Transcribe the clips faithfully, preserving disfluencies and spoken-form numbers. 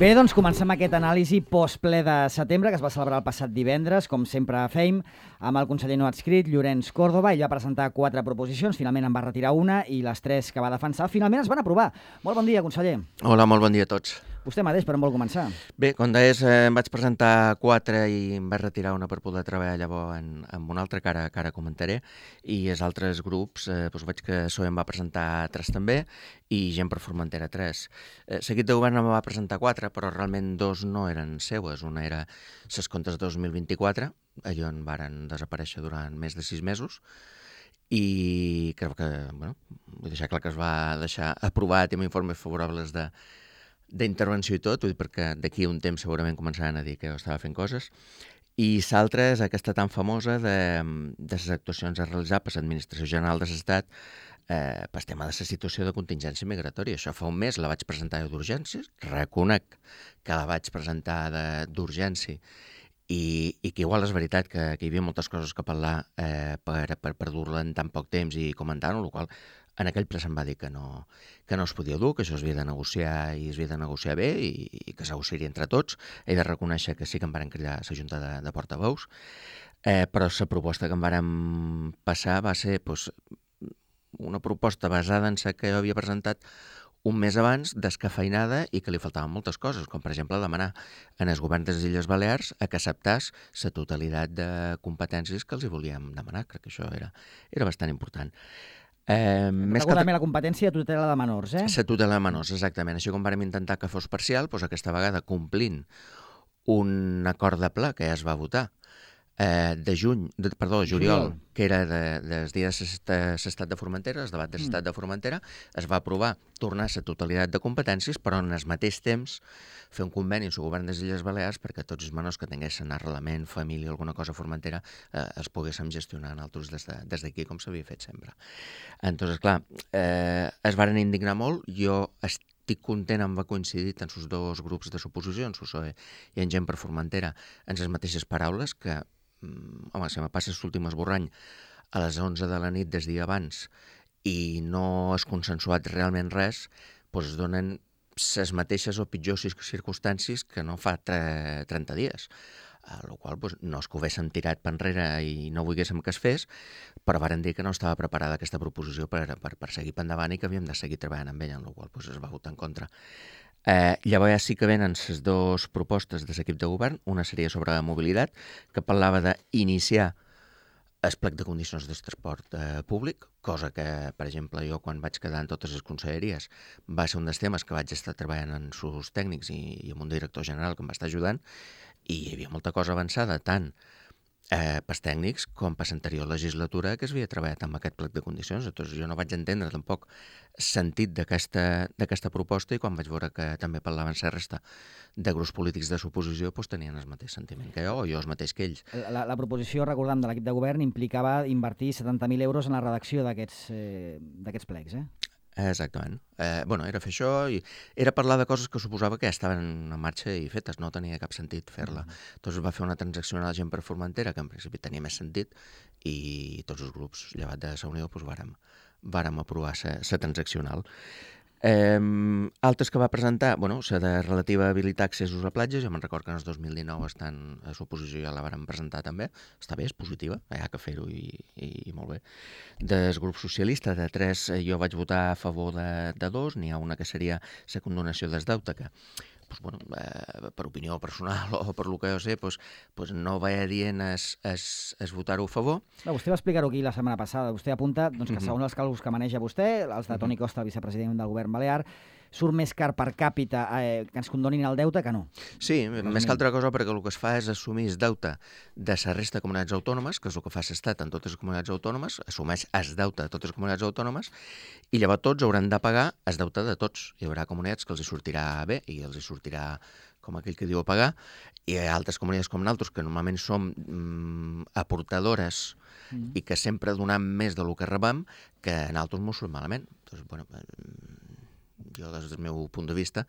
Bé, doncs comencem aquest anàlisi postple de setembre que es va celebrar el passat divendres, com sempre fem, amb el conseller no adscrit, Llorenç Córdoba. Ell va presentar quatre proposicions, finalment en va retirar una i les tres que va defensar finalment es van aprovar. Molt bon dia, conseller. Hola, molt bon dia a tots. Vostè mateix, per on vol començar? Bé, com deies, eh, em vaig presentar quatre i em vaig retirar una per poder treballar llavors en, en una altra que ara, que ara comentaré, i els altres grups, eh, doncs veig que S O E em va presentar tres també i Gent per Formentera tres. Eh, seguit de govern em va presentar quatre, però realment dos no eren seues. Una era ses comptes dos mil vint-i-quatre, allò en varen desaparèixer durant més de sis mesos, i crec que, bueno, vull deixar clar que es va deixar aprovat amb informes favorables de d'intervenció i tot, vull dir, perquè d'aquí un temps segurament començaran a dir que jo estava fent coses. I l'altra és aquesta tan famosa de, de les actuacions a realitzar per l'Administració General de l'Estat eh, per tema de la situació de contingència migratòria. Això fa un mes la vaig presentar d'urgències, reconec que la vaig presentar d'urgència i, i que igual és veritat que, que hi havia moltes coses que parlar eh, per, per, per dur-la en tan poc temps i comentar-ho, el qual en aquell ple se'm va dir que no, que no es podia dur, que això es havia de negociar i es havia de negociar bé i, i que s'negociaria entre tots. He de reconèixer que sí que em varen cridar a la Junta de, de Portaveus, eh, però la proposta que em varen passar va ser pues, una proposta basada en la que jo havia presentat un mes abans, descafeinada i que li faltaven moltes coses, com per exemple demanar en el govern de les Illes Balears a que acceptàs la totalitat de competències que els hi volíem demanar. Crec que això era, era bastant important. Eh, més que també la competència de tutela de menors, eh? La tutela de menors, exactament. Així com vam intentar que fos parcial, doncs aquesta vegada complint un acord de pla que ja es va votar eh, de juny, de, perdó, juliol, juliol, que era de, dels dies de l'estat de Formentera, el debat de l'estat de Formentera, es va aprovar tornar a la totalitat de competències, però en el mateix temps fer un conveni amb el govern de les Illes Balears perquè tots els menors que tinguessin arrelament, família, alguna cosa a Formentera, eh, els poguéssim gestionar nosaltres des d'aquí, de, des com s'havia fet sempre. Entonces, clar, eh, es varen indignar molt. Jo estic content, em va coincidir en els dos grups de suposició, en S O E i en Gent per Formentera, en les mateixes paraules, que, home, si me passa l'últim esborrany a les onze de la nit des dia abans i no es consensuat realment res, doncs es donen les mateixes o pitjors circumstàncies que no fa trenta dies. El qual doncs, no és que ho haguéssim tirat per enrere i no volguéssim que es fes, però varen dir que no estava preparada aquesta proposició per, per, per seguir per endavant i que havíem de seguir treballant amb ella, en la qual doncs, es va votar en contra. Eh, llavors ja sí que venen les dues propostes de l'equip de govern. Una seria sobre la mobilitat, que parlava d'iniciar el plec de condicions de transport eh, públic, cosa que, per exemple, jo quan vaig quedar en totes les conselleries va ser un dels temes que vaig estar treballant en sus tècnics i, i amb un director general que em va estar ajudant, i hi havia molta cosa avançada, tant eh, pels tècnics com per l'anterior legislatura que es havia treballat amb aquest plec de condicions. Llavors jo no vaig entendre tampoc sentit d'aquesta proposta i quan vaig veure que també parlaven la resta de grups polítics de suposició doncs tenien el mateix sentiment que jo o jo el mateix que ells. La, la proposició, recordem, de l'equip de govern implicava invertir setanta mil euros en la redacció d'aquests eh, d'aquests plecs, eh? Exactament. Eh, bueno, era fer això i era parlar de coses que suposava que ja estaven en marxa i fetes, no tenia cap sentit fer-la. Mm. Doncs va fer una transaccional a Gent per Formentera, que en principi tenia més sentit, i tots els grups, llevat de la Unió, doncs vàrem, vàrem aprovar la transaccional. Eh, altres que va presentar, bueno, la de relativa a habilitar accessos a platges, jo me'n record que en el dos mil dinou estan a l'oposició ja la vàrem presentar també, està bé, és positiva, hi ha que fer-ho i, i, i molt bé. Del grup socialista, de tres, jo vaig votar a favor de, de dos, n'hi ha una que seria la condonació del deute, que pues, bueno, eh, per opinió personal o per lo que jo sé, pues, pues no vaig dient es, es, es votar-ho a favor. No, vostè va explicar-ho aquí la setmana passada. Vostè apunta doncs, que uh-huh. segons els càlculs que maneja vostè, els de Toni Costa, el vicepresident del govern balear, surt més car per càpita eh, que ens condonin el deute que no. Sí, més que altra cosa perquè el que es fa és assumir el deute de la resta de comunitats autònomes, que és el que fa l'Estat en totes les comunitats autònomes, assumeix el deute de totes les comunitats autònomes i llavors tots hauran de pagar el deute de tots. Hi haurà comunitats que els hi sortirà bé i els hi sortirà com aquell que diu a pagar, i hi ha altres comunitats com nosaltres que normalment som mm, aportadores mm. i que sempre donem més del que rebem, que en altres mos surt malament. Doncs, bueno, jo des del meu punt de vista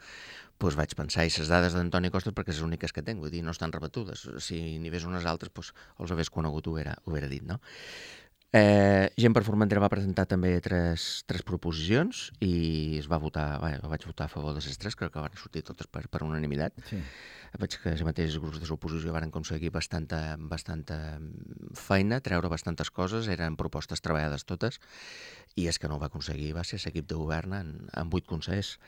doncs vaig pensar, i les dades d'Antoni Costa perquè són les úniques que tinc, vull dir, no estan rebatudes. Si n'hi hagués unes altres, doncs els hagués conegut, ho haguera, ho haguera dit, no? Eh, Gent per Formentera va presentar també tres, tres proposicions i es va votar, bé, vaig votar a favor de les tres, crec que van sortir totes per, per unanimitat. Sí. Veig que els mateixos grups de l'oposició van aconseguir bastanta, bastanta feina, treure bastantes coses, eren propostes treballades totes, i és que no ho va aconseguir, va ser l'equip de govern en, en vuit consellers.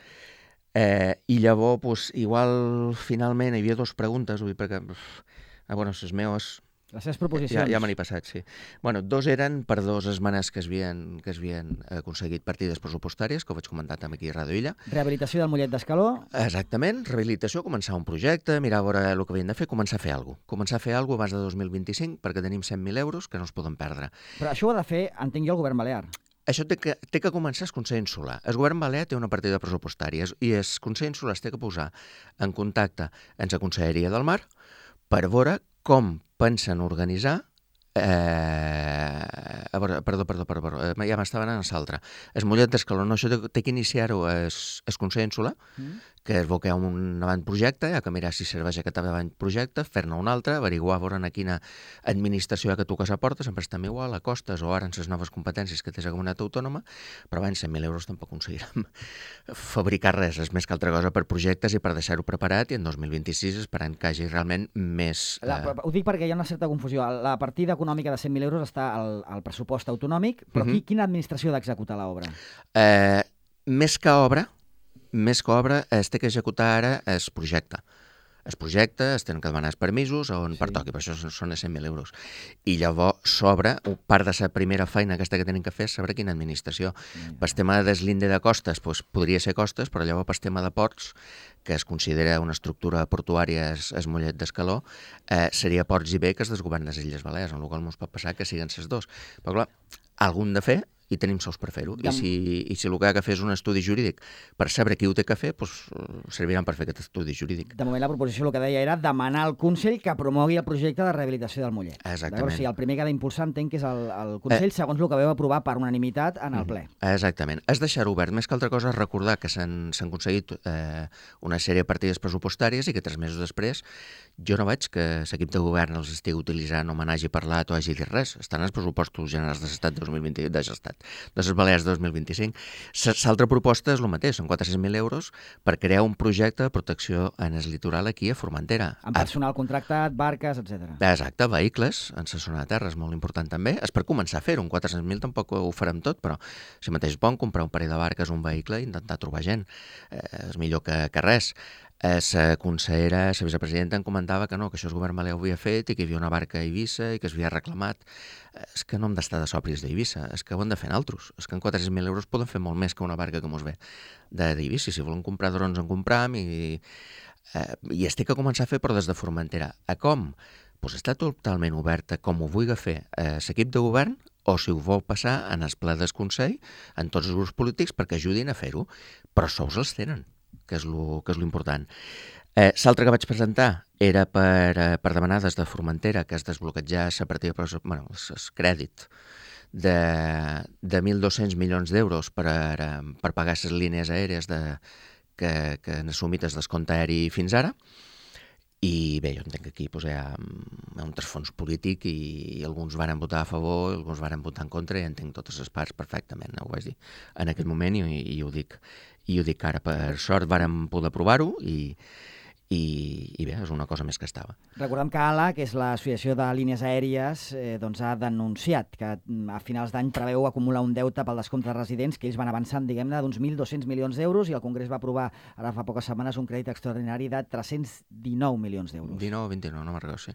Eh, I llavors, pues, igual, finalment, hi havia dues preguntes, vull dir, perquè, ah, bueno, les meves... Les seves proposicions. Ja, ja me n'he passat, sí. Bueno, dos eren per dos esmenes que es havien, que es havien aconseguit partides pressupostàries, que ho vaig comentar també aquí a Radio Illa. Rehabilitació del Mollet d'Escaló. Exactament, rehabilitació, començar un projecte, mirar a veure el que havien de fer, començar a fer alguna cosa. Començar a fer alguna cosa abans de dos mil vint-i-cinc, perquè tenim cent mil euros que no es poden perdre. Però això ho ha de fer, entenc jo, el govern balear. Això té que, té que començar el Consell Insular. El govern balear té una partida pressupostària i el Consell Insular es té que posar en contacte amb la Conselleria del Mar per veure com pensen organitzar Eh, a veure, perdó, perdó, perdó, perdó, ja m'estava anant a l'altre. El Mollet d'Escaló, no, això té que iniciar-ho el Consell Insular, mm. que es veu que hi ha un avantprojecte, hi ha que mirar si serveix aquest avantprojecte, fer-ne un altre, averiguar a veure a quina administració hi ha que tocar la porta, sempre estem igual, a costes o ara en les noves competències que té la comunitat autònoma, però abans cent mil euros tampoc aconseguirem fabricar res, és més que altra cosa per projectes i per deixar-ho preparat, i en dos mil vint-i-sis esperant que hagi realment més... La, eh... Ho dic perquè hi ha una certa confusió. La partida econòmica de cent mil euros està al, al pressupost autonòmic, però uh-huh. qui, quina administració ha d'executar l'obra? Eh, més que obra, més que obra, es té que executar ara el projecte. El projecte, es tenen que demanar els permisos on sí. pertoqui, per això són cent mil euros. I llavors s'obre, part de la primera feina aquesta que tenen que fer és saber quina administració. Sí. Per tema de deslinde de costes, doncs, podria ser costes, però llavors per tema de ports, que es considera una estructura portuària es, es Mollet d'Escaló, eh, seria Ports i B, que es desgoverna les Illes Balears, en el qual ens pot passar que siguen les dos. Però clar, algun de fer, i tenim sous per fer-ho. I si, I si el que ha de fer és un estudi jurídic per saber qui ho té que fer, doncs serviran per fer aquest estudi jurídic. De moment la proposició el que deia era demanar al Consell que promogui el projecte de rehabilitació del Mollet. Exactament. O sigui, el primer que ha d'impulsar entenc que és el, el Consell, eh, segons el que veu aprovar per unanimitat en el ple. Exactament. És deixar obert. Més que altra cosa és recordar que s'han aconseguit eh, una sèrie de partides pressupostàries i que tres mesos després jo no veig que l'equip de govern els estigui utilitzant o me n'hagi parlat o hagi dit res. Estan els pressupostos generals de l'Estat dos mil vint, de l'Estat, de les Balears dos mil vint-i-cinc. L'altra proposta és el mateix, són quatre-cents mil euros per crear un projecte de protecció en el litoral aquí a Formentera. Amb personal contractat, barques, etcètera. Exacte, vehicles, en la zona de terra és molt important també. És per començar a fer-ho, un quatre-cents mil tampoc ho farem tot, però si mateix bon comprar un parell de barques, un vehicle i intentar trobar gent. Eh, és millor que, que res. La consellera, la vicepresidenta, em comentava que no, que això el govern balear ho havia fet i que hi havia una barca a Eivissa i que es havia reclamat. És que no hem d'estar de sòpris d'Eivissa, és que ho hem de fer en altres. És que en quatre-cents mil euros poden fer molt més que una barca que mos ve d'Eivissa. Si volen comprar drons en compram i, eh, i es té que començar a fer però des de Formentera. A com? Doncs està totalment oberta com ho vulgui fer eh, l'equip de govern o si ho vol passar en el ple del Consell, en tots els grups polítics perquè ajudin a fer-ho, però sous els tenen, que és lo, que és lo important. Eh, L'altre que vaig presentar era per, eh, per demanar des de Formentera que es desbloquetjar la partida, bueno, el crèdit de, de mil dos-cents milions d'euros per, per pagar les línies aèries de, que, que han assumit el descompte aeri fins ara. I bé, jo entenc que aquí doncs, hi, ha, hi ha un trasfons polític i, i alguns varen votar a favor, alguns varen votar en contra i entenc totes les parts perfectament, ho vaig dir en aquest moment i, i, ho, dic, i ho dic ara. Per sort vàrem poder provar-ho i, i, i bé, és una cosa més que estava. Recordem que A L A, que és l'Associació de Línies Aèries, eh, doncs ha denunciat que a finals d'any preveu acumular un deute pel descompte de residents que ells van avançant, diguem-ne, d'uns mil dos-cents milions d'euros i el Congrés va aprovar ara fa poques setmanes un crèdit extraordinari de tres-cents dinou milions d'euros. dinou o vint-i-nou, no me'n recordo, sí.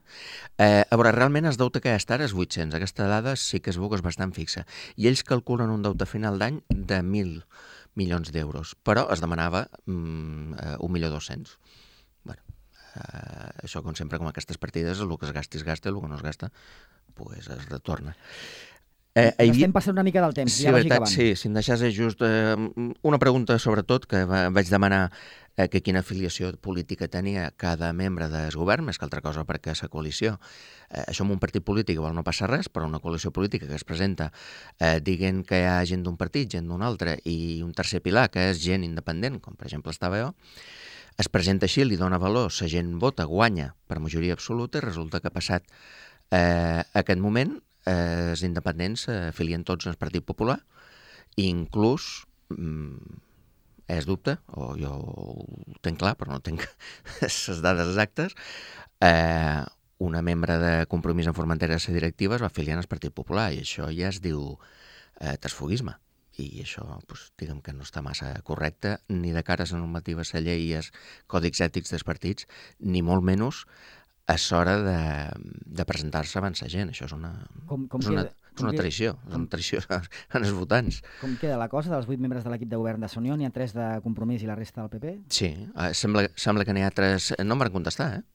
Eh, a veure, realment el deute que hi ha ara és vuit-cents. Aquesta dada sí que es veu que és bastant fixa. I ells calculen un deute final d'any de mil milions d'euros, però es demanava mm, un milió dos-cents. Bueno, eh, això com sempre, com aquestes partides, el que es gasta es gasta, el que no es gasta pues es retorna. Eh, havia... Estem passant una mica del temps, sí, ja vagi veritat, acabant. Sí, si em deixàs just eh, una pregunta sobretot que va, vaig demanar eh, que quina afiliació política tenia cada membre del govern, més que altra cosa perquè la coalició, eh, això en un partit polític igual no passa res, però una coalició política que es presenta eh, dient que hi ha gent d'un partit, gent d'un altre i un tercer pilar que és gent independent, com per exemple estava jo, es presenta així, li dona valor, la gent vota, guanya per majoria absoluta i resulta que ha passat eh, aquest moment eh, els independents s'afilien tots al Partit Popular, i inclús, mm, és dubte, o jo ho tenc clar, però no tinc les dades exactes, eh, una membre de Compromís en Formentera de la directiva es va afiliar al Partit Popular, i això ja es diu eh, transfugisme. I això, doncs, diguem que no està massa correcte, ni de cara a la normativa, a la llei i als còdics ètics dels partits, ni molt menys a l'hora de, de presentar-se abans la gent. Això és una, com, com és una, queda, és una traïció, és una traïció en els votants. Com queda la cosa? Dels vuit membres de l'equip de govern de Unió, n'hi ha tres de Compromís i la resta del P P? Sí, eh, sembla, sembla que n'hi ha tres... No em van contestar, eh?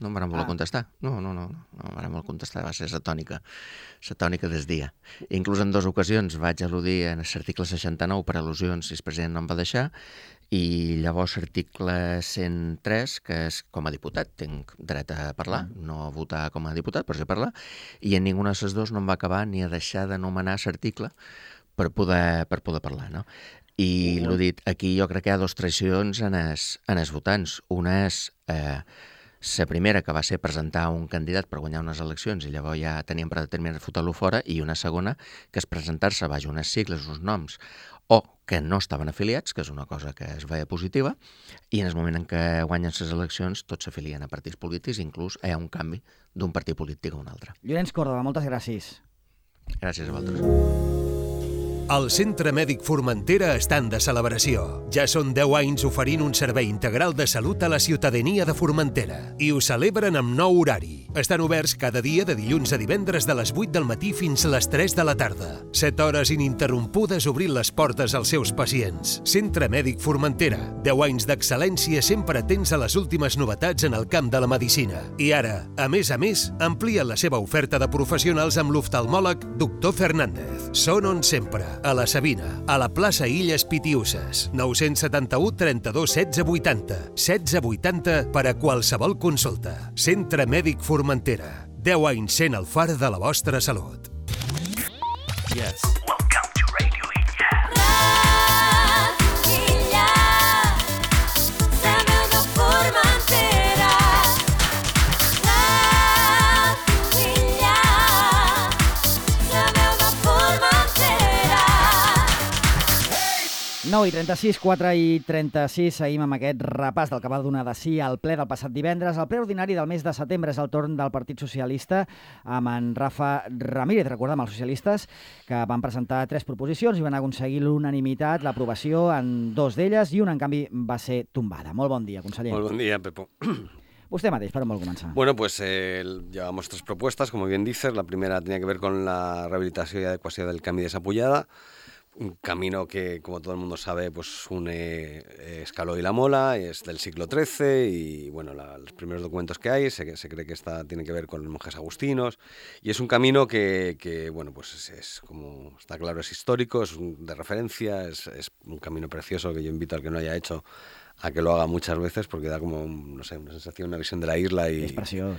No em van voler ah. contestar. No, no, no, no, no em van voler contestar. Va ser la tònica, la tònica del dia. Inclús en dues ocasions vaig al·ludir en l'article seixanta-nou per al·lusions i el president no em va deixar, i llavors l'article cent tres, que és com a diputat, tinc dret a parlar, no a votar com a diputat, però sí a parlar, i en ninguna de les dues no em va acabar ni a deixar d'anomenar l'article per poder, per poder parlar, no? I l'ho dit, aquí jo crec que hi ha dues traïcions en els, en els votants. Una és... Eh, la primera, que va ser presentar un candidat per guanyar unes eleccions i llavors ja teníem predeterminat fotre-lo fora, i una segona, que és presentar-se baix unes sigles, uns noms, o que no estaven afiliats, que és una cosa que es veia positiva, i en el moment en què guanyen les eleccions tots s'afilien a partits polítics, inclús hi ha un canvi d'un partit polític a un altre. Llorenç Córdoba, moltes gràcies. Gràcies a vosaltres. El Centre Mèdic Formentera està de celebració. Ja són deu anys oferint un servei integral de salut a la ciutadania de Formentera. I ho celebren amb nou horari. Estan oberts cada dia de dilluns a divendres de les vuit del matí fins a les tres de la tarda. set hores ininterrompudes obrint les portes als seus pacients. Centre Mèdic Formentera. deu anys d'excel·lència sempre atents a les últimes novetats en el camp de la medicina. I ara, a més a més, amplien la seva oferta de professionals amb l'oftalmòleg doctor Fernández. Són on sempre. A la Sabina, a la plaça Illes Pitiuses, nou setanta-u trenta-dos setze vuitanta, setze vuitanta per a qualsevol consulta. Centre Mèdic Formentera, deu anys sent el far de la vostra salut. Yes. Welcome to Radio Illa. Radio Illa, la veu de Formentera. Radio Illa, la veu de Formentera. nou i trenta-sis, quatre i trenta-sis, seguim amb aquest repàs del que va donar de si al ple del passat divendres. El ple ordinari del mes de setembre és el torn del Partit Socialista amb en Rafa Ramírez. Recordem els socialistes que van presentar tres proposicions i van aconseguir l'unanimitat, l'aprovació en dos d'elles, i una, en canvi, va ser tombada. Molt bon dia, conseller. Molt bon dia, Pepo. Usted mateix, per on vol començar? Bueno, pues eh, llevamos tres propuestas, como bien dices. La primera tenía que ver con la rehabilitación y adecuación del Camí de Sapullada. Un camino que, como todo el mundo sabe, pues une eh, Escaló y La Mola, es del siglo trece, y bueno, la, los primeros documentos que hay se, se cree que está, tiene que ver con los monjes agustinos, y es un camino que, que bueno, pues es, es como está claro, es histórico, es un, de referencia, es, es un camino precioso que yo invito al que no haya hecho a que lo haga muchas veces, porque da como, no sé, una sensación, una visión de la isla y,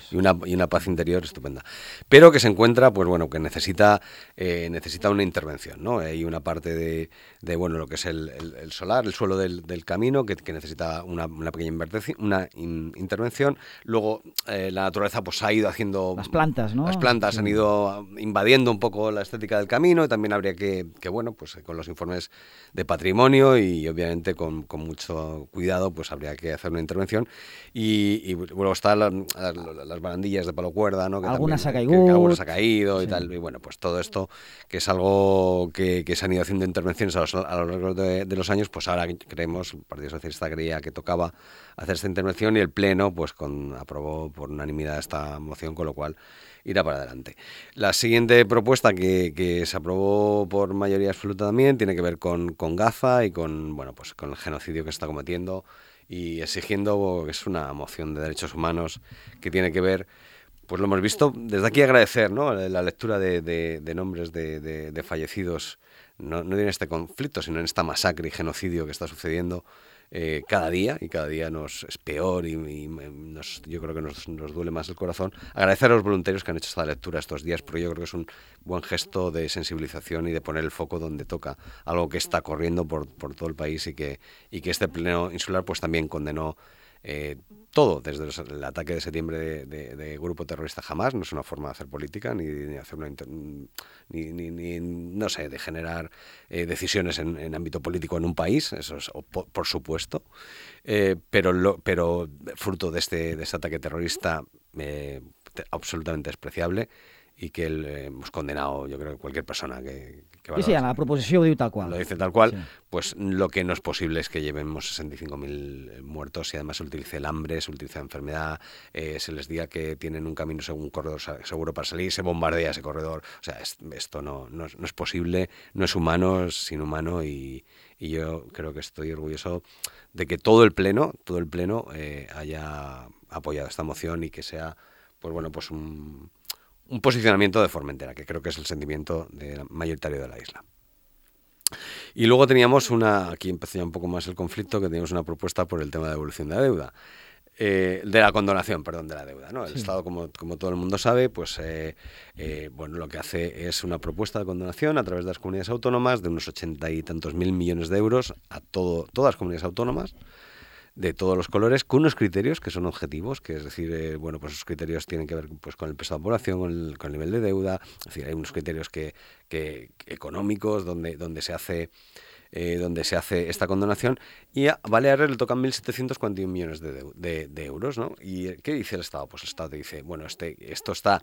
y, una, y una paz interior estupenda. Pero que se encuentra, pues bueno, que necesita eh, necesita una intervención, ¿no? Hay una parte de, de bueno, lo que es el, el, el solar, el suelo del, del camino, que, que necesita una, una pequeña una in, intervención. Luego, eh, la naturaleza pues ha ido haciendo... Las plantas, ¿no? Las plantas sí. han ido invadiendo un poco la estética del camino, y también habría que, que bueno, pues con los informes de patrimonio y obviamente con, con mucho cuidado, pues habría que hacer una intervención. Y, y luego están la, la, las barandillas de palo cuerda, ¿no? Que algunas también, ha caído. Que, que algunas ha caído sí. y tal. Y bueno, pues todo esto, que es algo que, que se han ido haciendo intervenciones a, los, a lo largo de, de los años, pues ahora creemos, el Partido Socialista creía que tocaba hacer esta intervención, y el Pleno pues con, aprobó por unanimidad esta moción, con lo cual irá para adelante. La siguiente propuesta que, que se aprobó por mayoría absoluta también tiene que ver con, con Gaza y con, bueno, pues con el genocidio que se está cometiendo, y exigiendo, que es una moción de derechos humanos que tiene que ver, pues lo hemos visto, desde aquí agradecer, ¿no?, la lectura de, de, de nombres de, de, de fallecidos, no, no en este conflicto, sino en esta masacre y genocidio que está sucediendo Eh, cada día, y cada día nos es peor, y, y nos, yo creo que nos, nos duele más el corazón. Agradecer a los voluntarios que han hecho esta lectura estos días, porque yo creo que es un buen gesto de sensibilización y de poner el foco donde toca, algo que está corriendo por, por todo el país, y que, y que este pleno insular pues también condenó eh, todo, desde los, el ataque de septiembre de, de, de grupo terrorista Hamás, no es una forma de hacer política, ni de hacer una inter, ni, ni, ni, no sé, de generar eh, decisiones en, en ámbito político en un país, eso es por, por supuesto, eh, pero, lo, pero fruto de este, de este ataque terrorista eh, absolutamente despreciable, y que el, eh, hemos condenado, yo creo que cualquier persona que, que sí, sí, en la proposició ho diu tal qual. Lo dice tal cual, sí. Pues lo que no es posible es que llevemos sesenta y cinco mil muertos y además se utilice el hambre, se utiliza la enfermedad, eh, se les diga que tienen un camino, un corredor seguro para salir, se bombardea ese corredor. O sea, es, esto no, no, no es posible, no es humano, es inhumano, y, y yo creo que estoy orgulloso de que todo el Pleno, todo el Pleno eh, haya apoyado esta moción y que sea, pues bueno, pues un... un posicionamiento de Formentera, que creo que es el sentimiento de, mayoritario de la isla. Y luego teníamos una, aquí empezó ya un poco más el conflicto, que teníamos una propuesta por el tema de devolución de la deuda, eh, de la condonación, perdón, de la deuda, ¿no? El sí. Estado, como, como todo el mundo sabe, pues eh, eh, bueno, lo que hace es una propuesta de condonación a través de las comunidades autónomas de unos ochenta y tantos mil millones de euros a todo, todas las comunidades autónomas, de todos los colores, con unos criterios que son objetivos, que es decir, eh, bueno, pues esos criterios tienen que ver pues con el peso de la población, con el, con el nivel de deuda, es decir, hay unos criterios que, que económicos donde, donde se hace eh, donde se hace esta condonación, y a Baleares le tocan mil setecientos cuarenta y uno millones de, de, de euros, ¿no? ¿Y qué dice el Estado? Pues el Estado te dice, bueno, este, esto está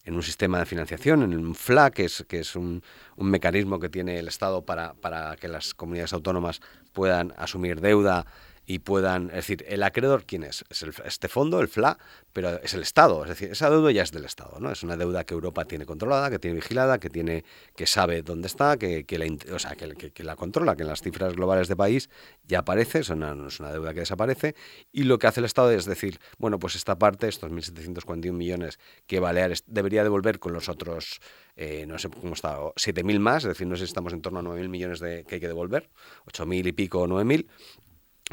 en un sistema de financiación, en un F L A, que es, que es un, un mecanismo que tiene el Estado para, para que las comunidades autónomas puedan asumir deuda y puedan, es decir, el acreedor, ¿quién es? Es el, este fondo, el F L A, pero es el Estado, es decir, esa deuda ya es del Estado, ¿no? Es una deuda que Europa tiene controlada, que tiene vigilada, que tiene, que sabe dónde está, que, que, la, o sea, que, que, que la controla, que en las cifras globales de país ya aparece, es una, no es una deuda que desaparece, y lo que hace el Estado es decir, bueno, pues esta parte, estos mil setecientos cuarenta y uno millones que Baleares debería devolver con los otros, eh, no sé cómo está, siete mil más, es decir, no sé si estamos en torno a nueve mil millones de, que hay que devolver, ocho mil y pico o nueve mil,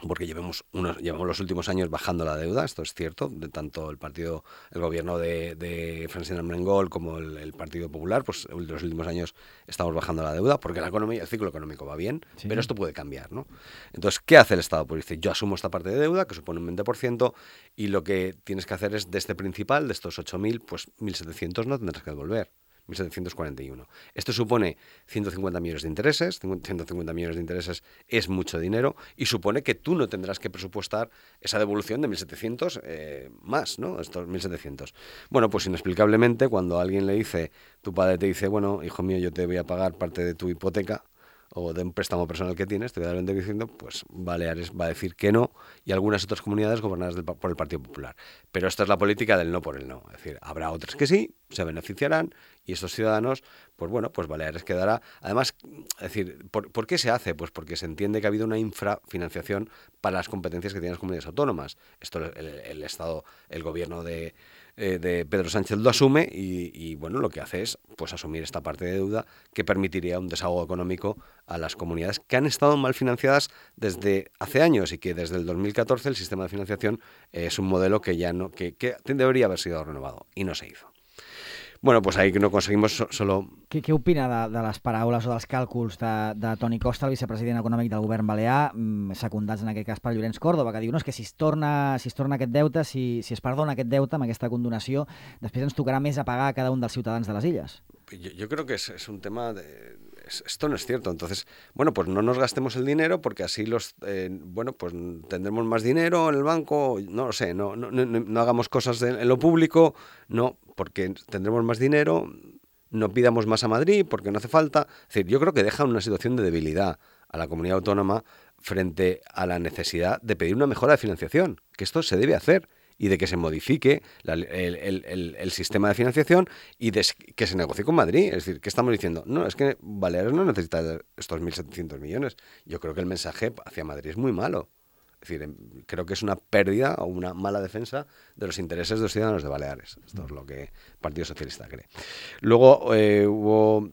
porque llevamos, unos, llevamos los últimos años bajando la deuda, esto es cierto, de tanto el partido, el gobierno de, de Francina Armengol como el, el Partido Popular, pues en los últimos años estamos bajando la deuda, porque la economía, el ciclo económico va bien, sí. Pero esto puede cambiar, ¿no? Entonces, ¿qué hace el Estado? Pues dice, yo asumo esta parte de deuda, que supone un veinte por ciento, y lo que tienes que hacer es, de este principal, de estos ocho mil, pues mil setecientos no tendrás que devolver. mil setecientos cuarenta y uno. Esto supone ciento cincuenta millones de intereses, ciento cincuenta millones de intereses es mucho dinero, y supone que tú no tendrás que presupuestar esa devolución de mil setecientos eh, más, ¿no? Estos mil setecientos. Bueno, pues inexplicablemente, cuando alguien le dice, tu padre te dice, bueno, hijo mío, yo te voy a pagar parte de tu hipoteca, o de un préstamo personal que tienes, te voy a dar el veinte por ciento, pues Baleares va a decir que no, y algunas otras comunidades gobernadas del, por el Partido Popular. Pero esta es la política del no por el no. Es decir, habrá otras que sí, se beneficiarán, y estos ciudadanos, pues bueno, pues Baleares quedará. Además, es decir, ¿por, ¿por qué se hace? Pues porque se entiende que ha habido una infrafinanciación para las competencias que tienen las comunidades autónomas. Esto el, el Estado, el gobierno de... de Pedro Sánchez lo asume y, y bueno, lo que hace es pues asumir esta parte de deuda que permitiría un desahogo económico a las comunidades que han estado mal financiadas desde hace años, y que desde el dos mil catorce el sistema de financiación es un modelo que ya no que, que debería haber sido renovado y no se hizo. Bueno, pues ahí no conseguimos so, solo... Què, què opina de, de les paraules o dels càlculs de, de Toni Costa, el vicepresident econòmic del govern balear, secundats en aquest cas per Llorenç Córdoba, que diu no, és que si es torna, si es torna aquest deute, si, si es perdona aquest deute amb aquesta condonació, després ens tocarà més a pagar a cada un dels ciutadans de les illes? Yo, yo creo que es, es un tema de... Esto no es cierto. Entonces, bueno, pues no nos gastemos el dinero, porque así los, eh, bueno, pues tendremos más dinero en el banco, no lo sé, no, no, no, no hagamos cosas en, en lo público, no, porque tendremos más dinero, no pidamos más a Madrid porque no hace falta. Es decir, yo creo que deja una situación de debilidad a la comunidad autónoma frente a la necesidad de pedir una mejora de financiación, que esto se debe hacer, y de que se modifique la, el, el, el, el sistema de financiación y de que se negocie con Madrid. Es decir, ¿qué estamos diciendo? No, es que Baleares no necesita estos mil setecientos millones. Yo creo que el mensaje hacia Madrid es muy malo. Es decir, creo que es una pérdida o una mala defensa de los intereses de los ciudadanos de Baleares. Esto es lo que el Partido Socialista cree. Luego eh, hubo...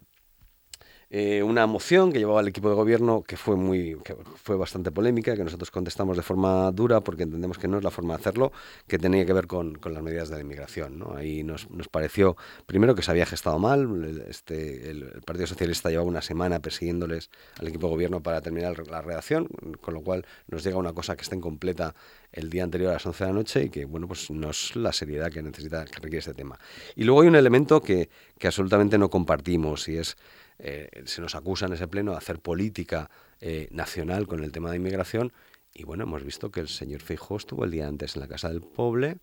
eh, una moción que llevaba el equipo de gobierno que fue muy que fue bastante polémica, que nosotros contestamos de forma dura porque entendemos que no es la forma de hacerlo, que tenía que ver con, con las medidas de la inmigración, ¿no? Ahí nos, nos pareció, primero, que se había gestado mal. Este, el, el Partido Socialista llevaba una semana persiguiéndoles al equipo de gobierno para terminar la redacción, con lo cual nos llega una cosa que está incompleta el día anterior a las once de la noche y que, bueno, pues no es la seriedad que necesita, que requiere este tema. Y luego hay un elemento que, que absolutamente no compartimos y es Eh, se nos acusa en ese pleno de hacer política eh, nacional con el tema de inmigración y bueno, hemos visto que el señor Feijóo estuvo el día antes en la Casa del Poble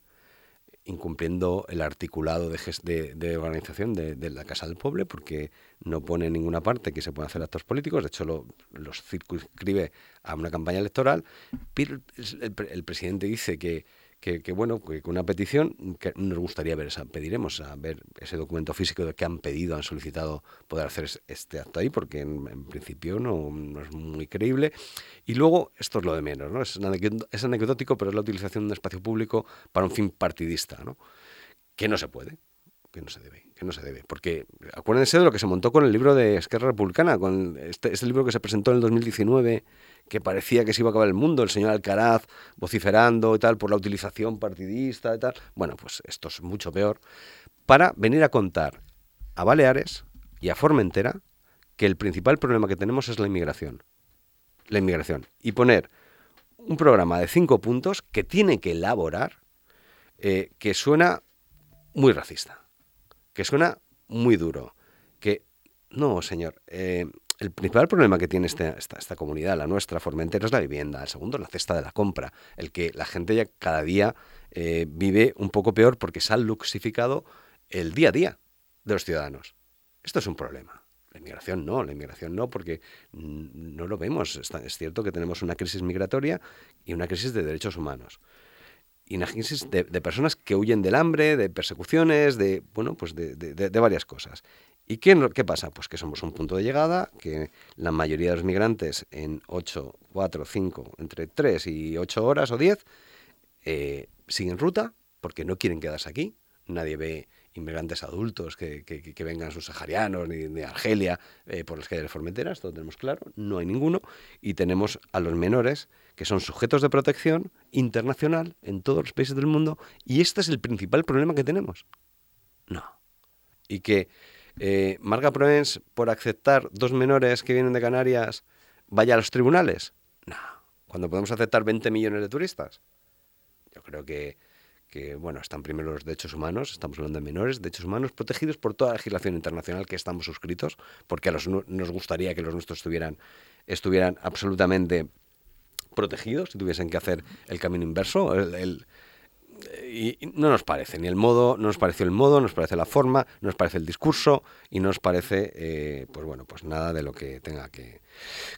incumpliendo el articulado de, de, de organización de, de la Casa del Poble porque no pone en ninguna parte que se puedan hacer actos políticos, de hecho lo, los circunscribe a una campaña electoral, pero el, el, el presidente dice que Que, que bueno, que con una petición que nos gustaría ver esa, pediremos a ver ese documento físico de que han pedido, han solicitado poder hacer este acto ahí, porque en, en principio no, no es muy creíble. Y luego, esto es lo de menos, ¿no? Es, es anecdótico, pero es la utilización de un espacio público para un fin partidista, ¿no? Que no se puede, que no se debe, que no se debe. Porque acuérdense de lo que se montó con el libro de Esquerra Republicana, con este, este libro que se presentó en el dos mil diecinueve, que parecía que se iba a acabar el mundo, el señor Alcaraz vociferando y tal por la utilización partidista y tal. Bueno, pues esto es mucho peor. Para venir a contar a Baleares y a Formentera que el principal problema que tenemos es la inmigración. La inmigración. Y poner un programa de cinco puntos que tiene que elaborar, eh, que suena muy racista, que suena muy duro, que... No, señor, eh, el principal problema que tiene este, esta, esta comunidad, la nuestra, Formentera, es la vivienda. El segundo, la cesta de la compra. El que la gente ya cada día eh, vive un poco peor porque se ha luxificado el día a día de los ciudadanos. Esto es un problema. La inmigración no, la inmigración no, porque no lo vemos. Es cierto que tenemos una crisis migratoria y una crisis de derechos humanos. Y una crisis de, de personas que huyen del hambre, de persecuciones, de, bueno, pues de, de, de varias cosas. ¿Y qué, qué pasa? Pues que somos un punto de llegada, que la mayoría de los migrantes en ocho, cuatro, cinco, entre tres y ocho horas o diez eh, siguen ruta porque no quieren quedarse aquí. Nadie ve inmigrantes adultos que, que, que vengan subsaharianos ni de Argelia eh, por las calles de Formentera, esto lo tenemos claro, no hay ninguno. Y tenemos a los menores que son sujetos de protección internacional en todos los países del mundo y este es el principal problema que tenemos. No. Y que Eh, Marga Proens, por aceptar dos menores que vienen de Canarias, vaya a los tribunales. No, cuando podemos aceptar veinte millones de turistas. Yo creo que, que, bueno, están primero los derechos humanos, estamos hablando de menores, derechos humanos protegidos por toda la legislación internacional que estamos suscritos, porque a los nos gustaría que los nuestros estuvieran, estuvieran absolutamente protegidos y tuviesen que hacer el camino inverso, el... el Y no nos parece ni el modo, no nos pareció el modo, no nos parece la forma, no nos parece el discurso y no nos parece, eh, pues bueno, pues nada de lo que tenga que,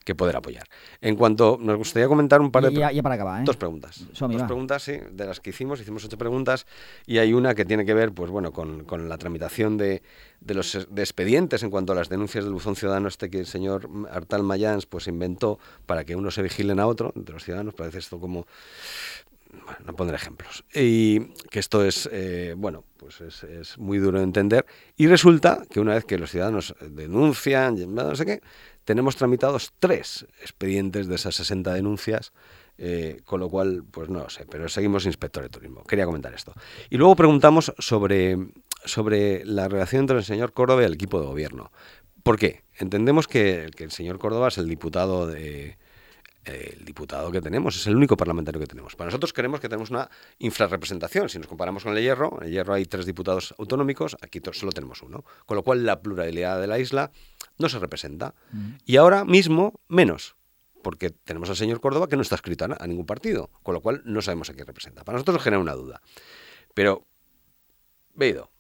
que poder apoyar. En cuanto, nos gustaría comentar un par de... Ya, ya para acabar, ¿eh? Dos preguntas. Som-hi, dos va. preguntas, sí, de las que hicimos, hicimos ocho preguntas y hay una que tiene que ver, pues bueno, con, con la tramitación de, de los de expedientes en cuanto a las denuncias del buzón ciudadano este que el señor Artal Mayans pues inventó para que uno se vigilen a otro, entre los ciudadanos, parece esto como... Bueno, no pondré ejemplos. Y que esto es, eh, bueno, pues es, es muy duro de entender. Y resulta que una vez que los ciudadanos denuncian, no sé qué, tenemos tramitados tres expedientes de esas sesenta denuncias, eh, con lo cual, pues no lo sé, pero seguimos inspector de turismo. Quería comentar esto. Y luego preguntamos sobre, sobre la relación entre el señor Córdoba y el equipo de gobierno. ¿Por qué? Entendemos que, que el señor Córdoba es el diputado de... el diputado que tenemos, es el único parlamentario que tenemos. Para nosotros creemos que tenemos una infrarrepresentación. Si nos comparamos con el Hierro, en el Hierro hay tres diputados autonómicos, aquí solo tenemos uno. Con lo cual la pluralidad de la isla no se representa. Mm. Y ahora mismo menos, porque tenemos al señor Córdoba que no está escrito a, a ningún partido, con lo cual no sabemos a quién representa. Para nosotros nos genera una duda. Pero, Beido,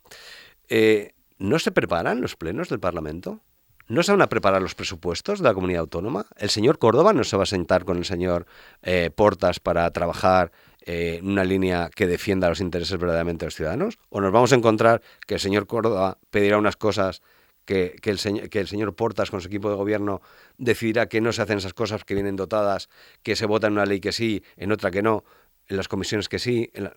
eh, ¿no se preparan los plenos del Parlamento? ¿No se van a preparar los presupuestos de la comunidad autónoma? ¿El señor Córdoba no se va a sentar con el señor eh, Portas para trabajar eh, en una línea que defienda los intereses verdaderamente de los ciudadanos? ¿O nos vamos a encontrar que el señor Córdoba pedirá unas cosas que, que, el, señor, que el señor Portas con su equipo de gobierno decidirá que no se hacen esas cosas que vienen dotadas, que se vota en una ley que sí, en otra que no, en las comisiones que sí? En la...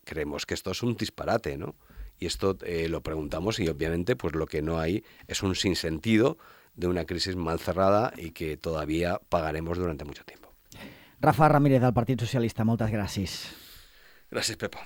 Creemos que esto es un disparate, ¿no? Y esto eh, lo preguntamos y obviamente pues lo que no hay es un sinsentido de una crisis mal cerrada y que todavía pagaremos durante mucho tiempo. Rafa Ramírez, del Partit Socialista, moltes gràcies. Gràcies, Pepa.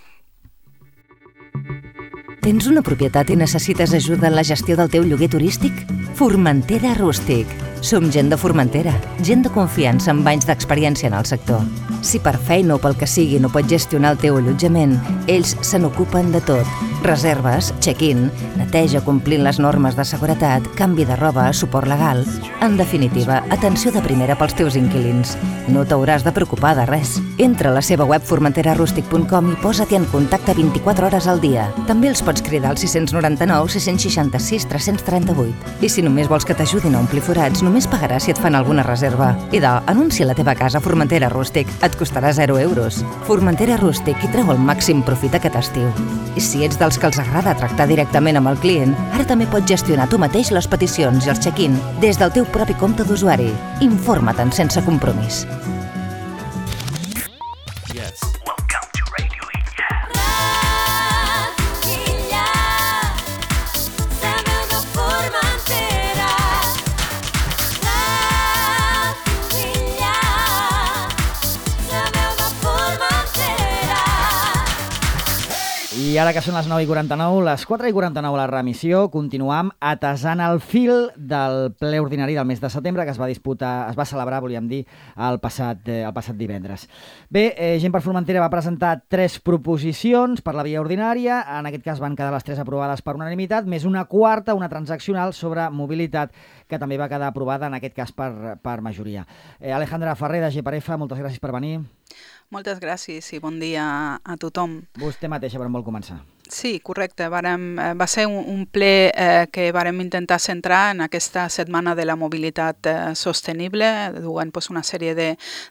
Tens una propietat i necessites ajuda en la gestió del teu lloguer turístic? Formentera Rústic. Som gent de Formentera, gent de confiança amb anys d'experiència en el sector. Si per feina o pel que sigui no pots gestionar el teu allotjament, ells se n'ocupen de tot. Reserves, check-in, neteja complint les normes de seguretat, canvi de roba, suport legal... En definitiva, atenció de primera pels teus inquilins. No t'hauràs de preocupar de res. Entra a la seva web formentera rústic punt com i posa-t'hi en contacte vint-i-quatre hores al dia. També els pots cridar al sis noranta-nou sis seixanta-sis tres trenta-vuit. I si només vols que t'ajudin a omplir forats, només pagaràs si et fan alguna reserva. I de, anuncia la teva casa a Formentera Rústic. Et costarà zero euros. Formentera Rústic i treu el màxim profit aquest estiu. I si ets dels que els agrada tractar directament amb el client, ara també pots gestionar tu mateix les peticions i els check-in des del teu propi compte d'usuari. Informa't sense compromís. Yes. I ara que són les nou i quaranta-nou, les quatre i quaranta-nou a la remissió, continuam atasant el fil del ple ordinari del mes de setembre que es va disputar, es va celebrar, volíem dir, el passat, eh, el passat divendres. Bé, eh, Gent per Formentera va presentar tres proposicions per la via ordinària, en aquest cas van quedar les tres aprovades per unanimitat, més una quarta, una transaccional sobre mobilitat, que també va quedar aprovada, en aquest cas per, per majoria. Eh, Alejandra Ferrer, de G per F, moltes gràcies per venir. Moltes gràcies i bon dia a tothom. Vostè mateixa, per on vol començar? Sí, correcte. Varem, va ser un, un ple eh, que varem intentar centrar en aquesta setmana de la mobilitat eh, sostenible, duent pues, una sèrie de,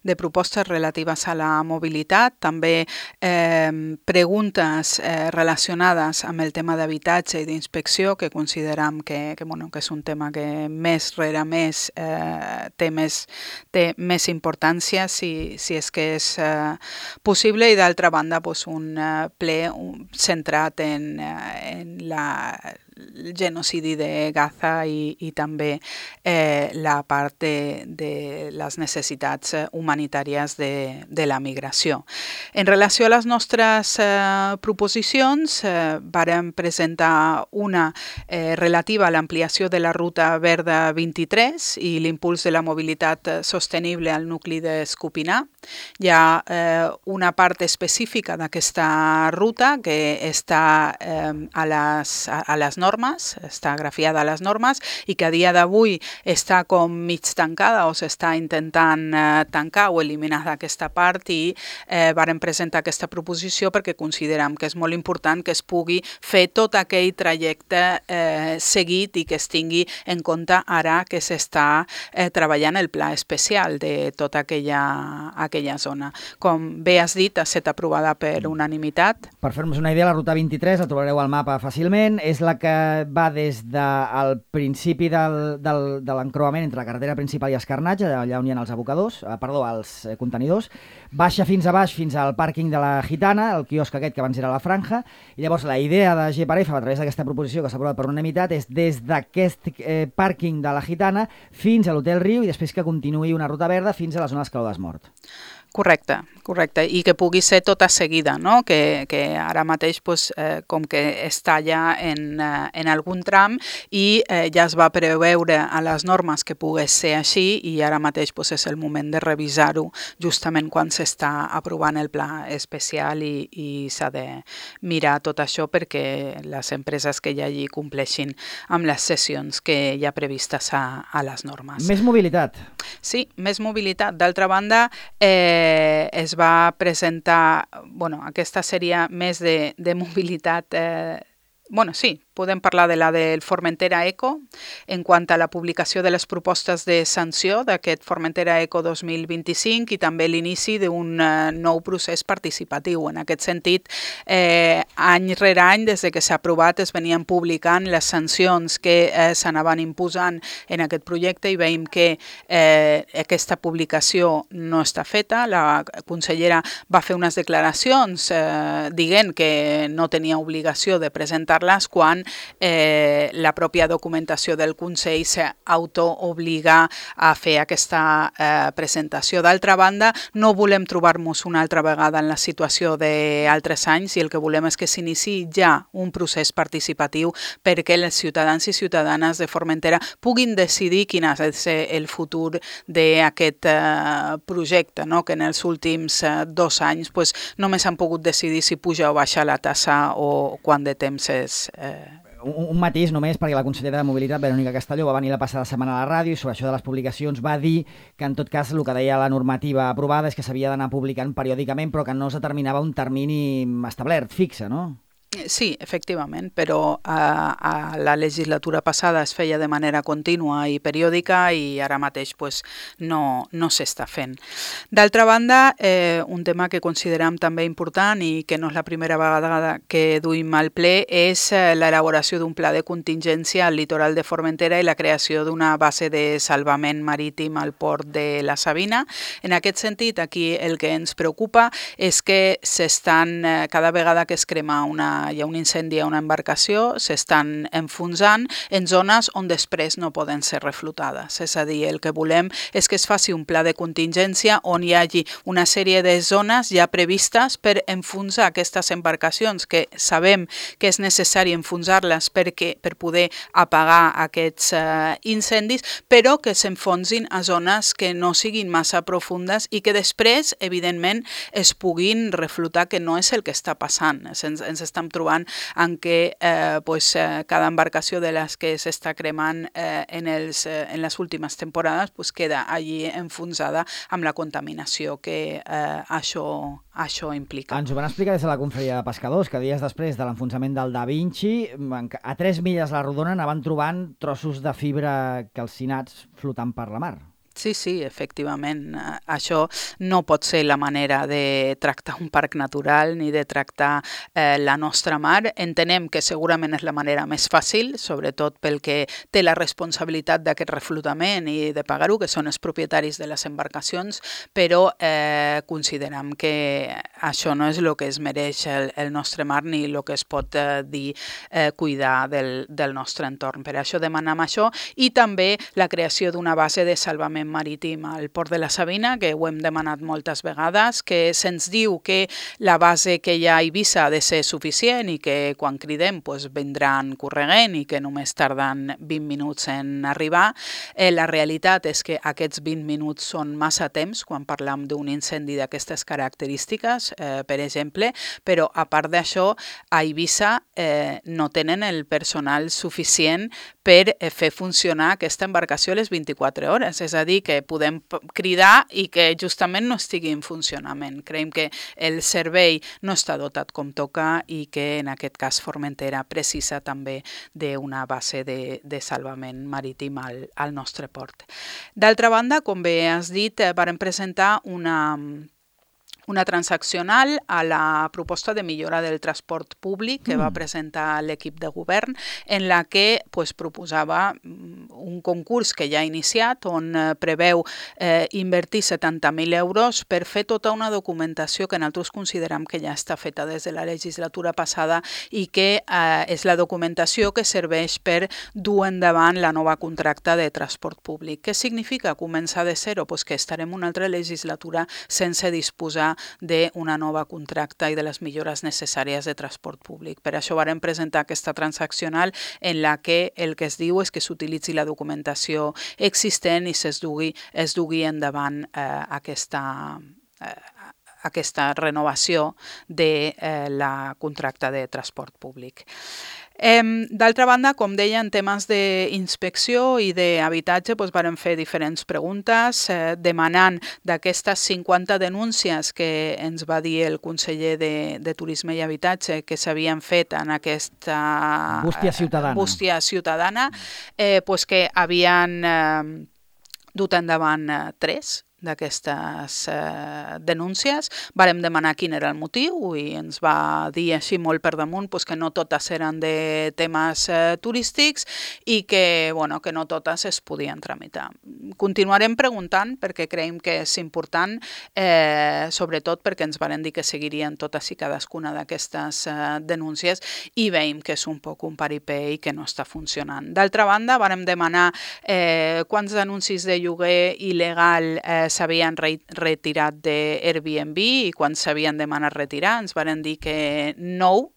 de propostes relatives a la mobilitat, també eh, preguntes eh, relacionades amb el tema d'habitatge i d'inspecció, que consideram que, que, bueno, que és un tema que més rere més eh, té, més, té més importància si, si és que és eh, possible, i d'altra banda pues, un eh, ple un, centrat En, en la, el genocidi de Gaza i, i també eh, la part de, de les necessitats humanitàries de, de la migració. En relació a les nostres eh, proposicions, eh, vàrem presentar una eh, relativa a l'ampliació de la ruta verda vint-i-tres i l'impuls de la mobilitat sostenible al nucli d'Escopinar. Hi ha eh, una part específica d'aquesta ruta que està eh, a, les, a, a les normes, està grafiada a les normes i que a dia d'avui està com mig tancada o s'està intentant eh, tancar o eliminar d'aquesta part, i eh, vàrem presentar aquesta proposició perquè considerem que és molt important que es pugui fer tot aquell trajecte eh, seguit i que es tingui en compte ara que s'està eh, treballant el pla especial de tota aquella, aquella zona. Com bé has dit, ha estat aprovada per unanimitat. Per fer-nos una idea, la ruta vint-i-tres, la trobareu al mapa fàcilment, és la que va des del principi del, del, de l'encreuament entre la carretera principal i Escarnatge, allà on hi ha els abocadors, eh, perdó, els eh, contenidors, baixa fins a baix, fins al pàrquing de la Gitana, el quiosc aquest que abans era la Franja, i llavors la idea de G per F, a través d'aquesta proposició que s'ha aprovat per unanimitat, és des d'aquest eh, pàrquing de la Gitana fins a l'Hotel Riu i després que continuï una ruta verda fins a la zona d'Escaló d'Esmort. Correcte, correcte, i que pugui ser tota seguida, no? que, que ara mateix pues, eh, com que es talla en, eh, en algun tram i eh, ja es va preveure a les normes que pogués ser així, i ara mateix pues, és el moment de revisar-ho justament quan s'està aprovant el pla especial, i, i s'ha de mirar tot això perquè les empreses que hi hagi compleixin amb les sessions que hi ha previstes a, a les normes. Més mobilitat. Sí, més mobilitat. D'altra banda, eh, es va presentar, bueno, aquesta seria més de, de mobilitat eh, Bueno, sí, podem parlar de la del Formentera Eco en quant a la publicació de les propostes de sanció d'aquest Formentera Eco dos mil vint-i-cinc i també l'inici d'un uh, nou procés participatiu. En aquest sentit, eh, any rere any, des de que s'ha aprovat, es venien publicant les sancions que eh, s'anaven imposant en aquest projecte i veiem que eh, aquesta publicació no està feta. La consellera va fer unes declaracions eh, dient que no tenia obligació de presentar les quan eh, la pròpia documentació del Consell s'auto-obliga a fer aquesta eh, presentació. D'altra banda, no volem trobar-nos una altra vegada en la situació d'altres anys i el que volem és que s'iniciï ja un procés participatiu perquè els ciutadans i ciutadanes de Formentera puguin decidir quin ha de ser el futur d'aquest eh, projecte, no? Que en els últims eh, dos anys pues, només han pogut decidir si puja o baixa la tassa o quant de temps és. Eh... Un, un matís només, perquè la consellera de Mobilitat, Verònica Castelló, va venir la passada setmana a la ràdio i sobre això de les publicacions va dir que en tot cas el que deia la normativa aprovada és que s'havia d'anar publicant periòdicament però que no es determinava un termini establert, fixe, no? Sí, efectivament, però a, a la legislatura passada es feia de manera contínua i periòdica i ara mateix pues, no, no s'està fent. D'altra banda, eh, un tema que considerem també important i que no és la primera vegada que duim al ple és eh, l'elaboració d'un pla de contingència al litoral de Formentera i la creació d'una base de salvament marítim al port de la Sabina. En aquest sentit, aquí el que ens preocupa és que s'estan, eh, cada vegada que es crema una hi ha un incendi a una embarcació, s'estan enfonsant en zones on després no poden ser reflotades. És a dir, el que volem és que es faci un pla de contingència on hi hagi una sèrie de zones ja previstes per enfonsar aquestes embarcacions que sabem que és necessari enfonsar-les perquè, per poder apagar aquests eh, incendis, però que s'enfonsin a zones que no siguin massa profundes i que després, evidentment, es puguin reflotar, que no és el que està passant. Ens, ens estem trobant en què eh, pues, eh, cada embarcació de les que s'està cremant eh, en, els, eh, en les últimes temporades pues, queda allí enfonsada amb la contaminació que eh, això, això implica. Ens ho van explicar des de la Confraria de Pescadors, que dies després de l'enfonsament del Da Vinci, a tres milles a la rodona anaven trobant trossos de fibra calcinats flotant per la mar. Sí, sí, efectivament. Això no pot ser la manera de tractar un parc natural ni de tractar eh, la nostra mar. Entenem que segurament és la manera més fàcil, sobretot pel que té la responsabilitat d'aquest reflotament i de pagar-ho, que són els propietaris de les embarcacions, però eh, considerem que això no és el que es mereix el, el nostre mar ni el que es pot eh, dir eh, cuidar del, del nostre entorn. Per això demanem això i també la creació d'una base de salvament marítim al port de la Sabina, que ho hem demanat moltes vegades, que se'ns diu que la base que hi ha a Eivissa ha de ser suficient i que quan cridem pues, vindran corregent i que només tarden vint minuts en arribar. Eh, la realitat és que aquests vint minuts són massa temps quan parlam d'un incendi d'aquestes característiques, eh, per exemple, però a part d'això, a Eivissa eh, no tenen el personal suficient per eh, fer funcionar aquesta embarcació a les vint-i-quatre hores, és a dir, que podem cridar i que justament no estigui en funcionament. Creiem que el servei no està dotat com toca i que en aquest cas Formentera precisa també d'una base de, de salvament marítim al, al nostre port. D'altra banda, com bé has dit, vàrem presentar una... una transaccional a la proposta de millora del transport públic que mm. va presentar l'equip de govern, en la que pues, proposava un concurs que ja ha iniciat, on eh, preveu eh, invertir setanta mil euros per fer tota una documentació que nosaltres considerem que ja està feta des de la legislatura passada i que eh, és la documentació que serveix per dur endavant la nova contracta de transport públic. Què significa començar de zero? Pues que estarem una altra legislatura sense disposar d'una nova contracta i de les millores necessàries de transport públic. Per això vàrem presentar aquesta transaccional en la que el que es diu és que s'utilitzi la documentació existent i es dugui, es dugui endavant eh, aquesta, eh, aquesta renovació de eh, la contracte de transport públic. Eh, D'altra banda, com deia, en temes d'inspecció i d'habitatge, doncs vàrem fer diferents preguntes eh, demanant d'aquestes cinquanta denúncies que ens va dir el conseller de, de Turisme i Habitatge que s'havien fet en aquesta bústia ciutadana, eh, bústia ciutadana eh, doncs que havien eh, dut endavant eh, tres d'aquestes eh, denúncies. Vàrem demanar quin era el motiu i ens va dir així molt per damunt pues, que no totes eren de temes eh, turístics i que, bueno, que no totes es podien tramitar. Continuarem preguntant perquè creiem que és important, eh, sobretot perquè ens varen dir que seguirien totes i cadascuna d'aquestes eh, denúncies i veiem que és un poc un paripé i que no està funcionant. D'altra banda, vàrem demanar eh, quants anuncis de lloguer il·legal eh, s'havien re retirat de Airbnb i quan s'havien demanat retirar ens varen dir que nou,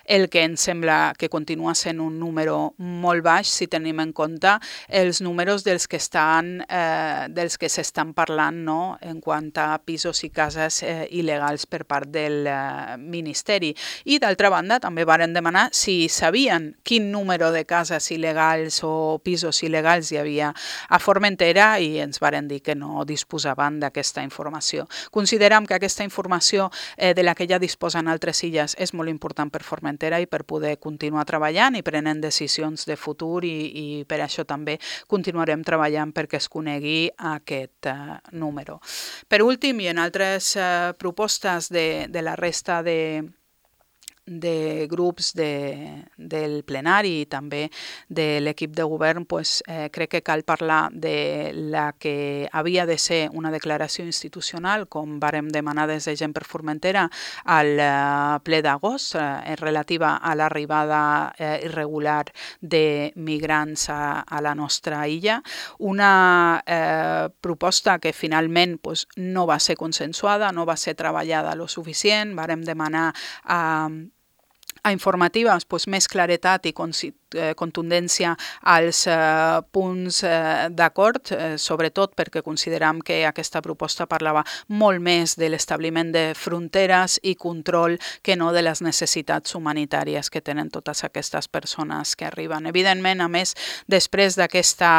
el que ens sembla que continua sent un número molt baix si tenim en compte els números dels que estan eh, dels que s'estan parlant, no? En quant a pisos i cases eh, il·legals per part del eh, Ministeri. I d'altra banda també varen demanar si sabien quin número de cases il·legals o pisos il·legals hi havia a Formentera i ens varen dir que no disposaven d'aquesta informació. Considerem que aquesta informació eh, de la que ja disposen altres illes és molt important per Formentera i per poder continuar treballant i prenent decisions de futur i, i per això també continuarem treballant perquè es conegui aquest uh, número. Per últim, i en altres uh, propostes de, de la resta de de grups de, del plenari i també de l'equip de govern, pues, eh, crec que cal parlar de la que havia de ser una declaració institucional, com vàrem demanar des de Gent per Formentera al eh, ple d'agost, eh, relativa a l'arribada eh, irregular de migrants a, a la nostra illa. Una eh, proposta que finalment pues, no va ser consensuada, no va ser treballada lo suficient. Vàrem demanar a eh, a informatives pues, més claretat i contundència als eh, punts eh, d'acord, eh, sobretot perquè consideram que aquesta proposta parlava molt més de l'establiment de fronteres i control que no de les necessitats humanitàries que tenen totes aquestes persones que arriben. Evidentment, a més, després d'aquesta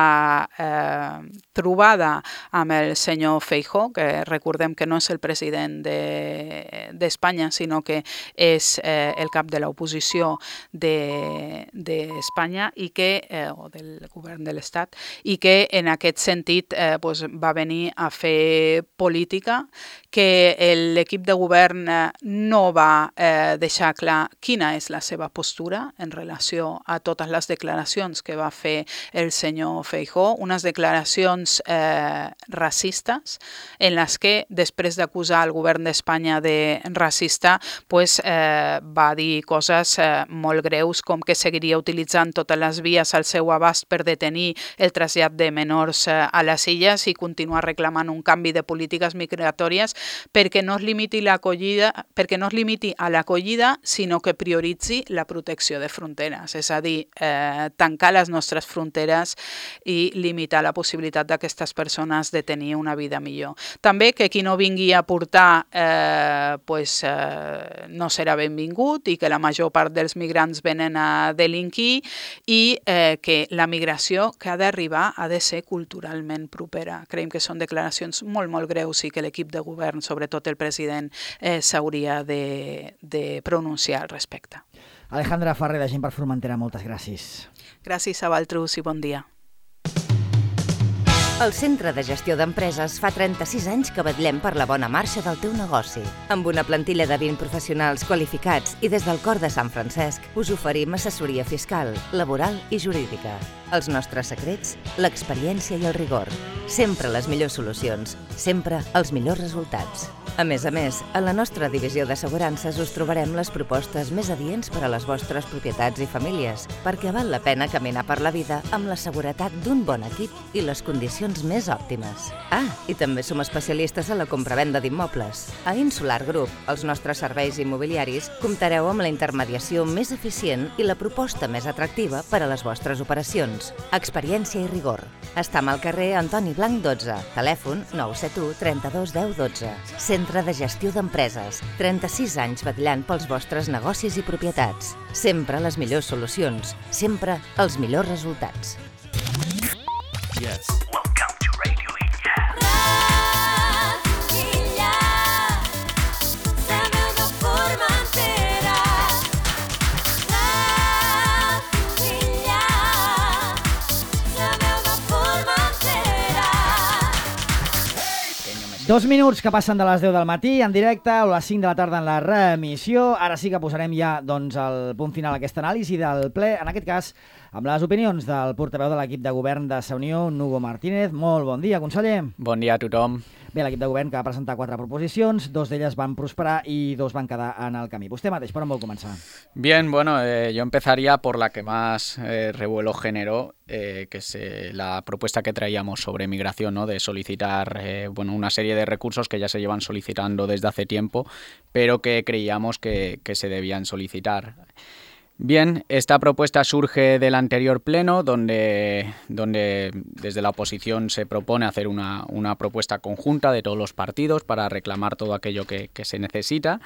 eh, trobada amb el senyor Feijóo, que recordem que no és el president d'Espanya, de, sinó que és eh, el cap de l'oposició d'Espanya de, i que, eh, o del govern de l'Estat, i que en aquest sentit eh, pues, va venir a fer política, que l'equip de govern no va eh, deixar clar quina és la seva postura en relació a totes les declaracions que va fer el senyor Feijóo, unes declaracions eh, racistes en les que, després d'acusar el govern d'Espanya de racista, pues, eh, va dir coses eh, molt greus, com que seguiria utilitzant totes les vies al seu abast per detenir el trasllat de menors eh, a les illes i continuar reclamant un canvi de polítiques migratòries perquè no es limiti l'acollida, perquè no es limiti a l'acollida, sinó que prioritzi la protecció de fronteres, és a dir, eh, tancar les nostres fronteres i limitar la possibilitat d'aquestes persones de tenir una vida millor. També que qui no vingui a portar eh, pues, eh, no serà benvingut i que la major part dels migrants venen a delinquir i eh, que la migració que ha d'arribar ha de ser culturalment propera. Creiem que són declaracions molt, molt greus i que l'equip de govern, sobretot el president, eh, s'hauria de, de pronunciar al respecte. Alejandra Ferrer, de Gent per Formentera, moltes gràcies. Gràcies a vosaltres i bon dia. El Centre de Gestió d'Empreses fa trenta-sis anys que vetllem per la bona marxa del teu negoci. Amb una plantilla de vint professionals qualificats i des del cor de Sant Francesc us oferim assessoria fiscal, laboral i jurídica. Els nostres secrets, l'experiència i el rigor. Sempre les millors solucions, sempre els millors resultats. A més a més, a la nostra divisió d'assegurances us trobarem les propostes més adients per a les vostres propietats i famílies, perquè val la pena caminar per la vida amb la seguretat d'un bon equip i les condicions més òptimes. Ah, i també som especialistes en la compravenda d'immobles. A Insular Group, els nostres serveis immobiliaris, comptareu amb la intermediació més eficient i la proposta més atractiva per a les vostres operacions. Experiència i rigor. Estam al carrer Antoni Blanc dotze, telèfon nou set u trenta-dos deu dotze. Centre Centre de Gestió d'Empreses. trenta-sis anys vetllant pels vostres negocis i propietats. Sempre les millors solucions. Sempre els millors resultats. Yes. Dos minuts que passen de les deu del matí en directe o les cinc de la tarda en la reemissió. Ara sí que posarem ja doncs, el punt final a aquesta anàlisi del ple, en aquest cas amb les opinions del portaveu de l'equip de govern de Sa Unió, Hugo Martínez. Molt bon dia, conseller. Bon dia a tothom. Bé, l'equip de govern que va presentar quatre proposicions, dos d'elles van prosperar y dos van quedar en el camí. Vostè mateix, per on vol començar? Bien, bueno, eh, yo empezaría por la que más eh, revuelo generó, eh, que es eh, la propuesta que traíamos sobre migración, ¿no? De solicitar eh, bueno, una serie de recursos que ya se llevan solicitando desde hace tiempo, pero que creíamos que, que se debían solicitar. Bien, esta propuesta surge del anterior pleno, donde, donde desde la oposición se propone hacer una, una propuesta conjunta de todos los partidos para reclamar todo aquello que, que se necesita.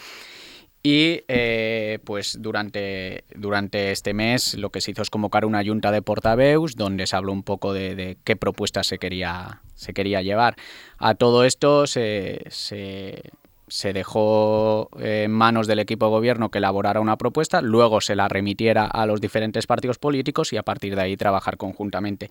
Y eh, pues durante, durante este mes lo que se hizo es convocar una junta de portaveus donde se habló un poco de, de qué propuesta se quería, se quería llevar. A todo esto se... se se dejó en manos del equipo de gobierno que elaborara una propuesta, luego se la remitiera a los diferentes partidos políticos y a partir de ahí trabajar conjuntamente.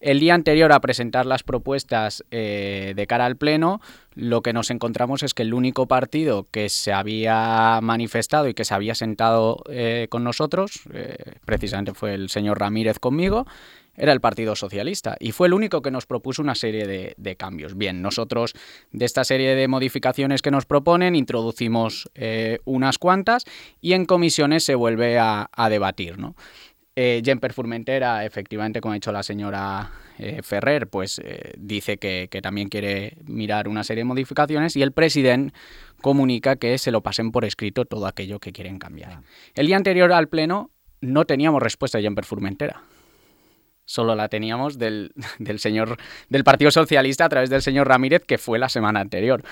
El día anterior a presentar las propuestas eh, de cara al Pleno, lo que nos encontramos es que el único partido que se había manifestado y que se había sentado eh, con nosotros, eh, precisamente fue el señor Ramírez conmigo, era el Partido Socialista y fue el único que nos propuso una serie de, de cambios. Bien, nosotros de esta serie de modificaciones que nos proponen introducimos eh, unas cuantas y en comisiones se vuelve a, a debatir, ¿no? Eh, Jemper Formentera, efectivamente, como ha dicho la señora eh, Ferrer, pues eh, dice que, que también quiere mirar una serie de modificaciones y el presidente comunica que se lo pasen por escrito todo aquello que quieren cambiar. El día anterior al Pleno no teníamos respuesta de Jemper Formentera. Solo la teníamos del, del señor del Partido Socialista a través del señor Ramírez, que fue la semana anterior.